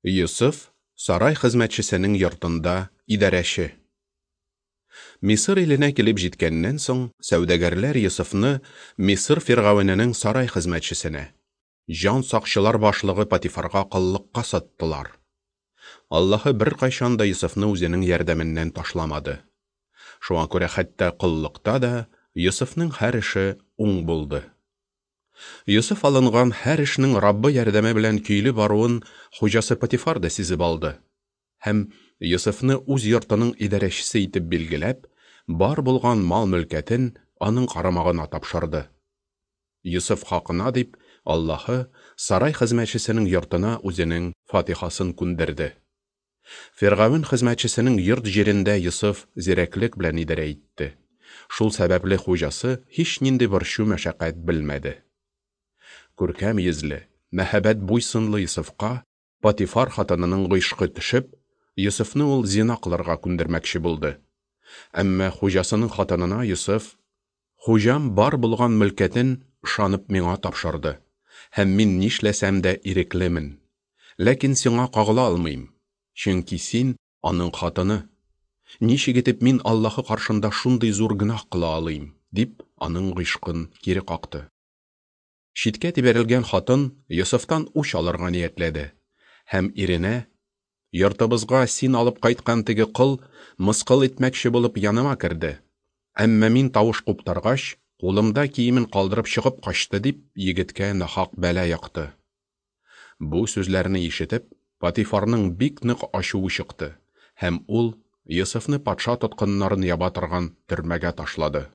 Йосыф, сарай хезмәтчесенең йортында идарәче. Мисыр иленә килеп җиткәннән соң, сәүдәгәрләр Йосыфны Мисыр фиргавененең сарай хезмәтчесенә, җан сакчылар башлыгы Патифарга коллыкка саттылар. Аллаһы беркайчан да Йосыфны үзенең ярдәменнән ташламады. Шуңа күрә хәтта коллыкта да Йосыфның һәр эше уң булды. Йосыф алынган һәр эшнең Раббы ярдәме белән көйле баруын хуҗасы Потифар да сизеп алды. Һәм Йосыфны үз йортының идарәчесе итеп билгеләп, бар булган мал-мөлкәтен аның карамагына тапшырды. Йосыф хакына дип, Аллаһы сарай хезмәтчесенең йортына үзенең фатихасын күндерде. Фиргавен хезмәтчесенең йорт-җирендә Йосыф зирәклек белән идарә итте. Шул сәбәпле хуҗасы һичнинди борчу-мәшәкать белмәде. Күркәм йөзле, мәһабәт буй-сынлы Йосыфка Потифар хатынының гыйшкы төшеп, Йосыфны ул зина кылырга күндермәкче булды. Әмма хуҗасының хатынына Йосыф, Хуҗам бар булган мөлкәтен ышанып миңа тапшырды, һәм мин нишләсәм дә иреклемен. Ләкин сиңа кагыла алмыйм, чөнки син аның хатыны. Ничек итеп мин Аллаһы каршында шундый зур гөнаһ кыла алыйм? дип, аның гыйшкын кире какты. Читкә тибәрелгән хатын Йосыфтан үч алырга ниятләде һәм иренә, Йортыбызга син алып кайткан теге кол мыскыл итмәкче булып яныма керде. Әмма мин тавыш куптаргач, кулымда киемен калдырып чыгып качты, дип егеткә нахак бәла якты. Бу сүзләрне ишетеп, Потифарның бик нык ачуы чыкты, һәм ул Йосыфны патша тоткыннарын яба торган төрмәгә ташлады.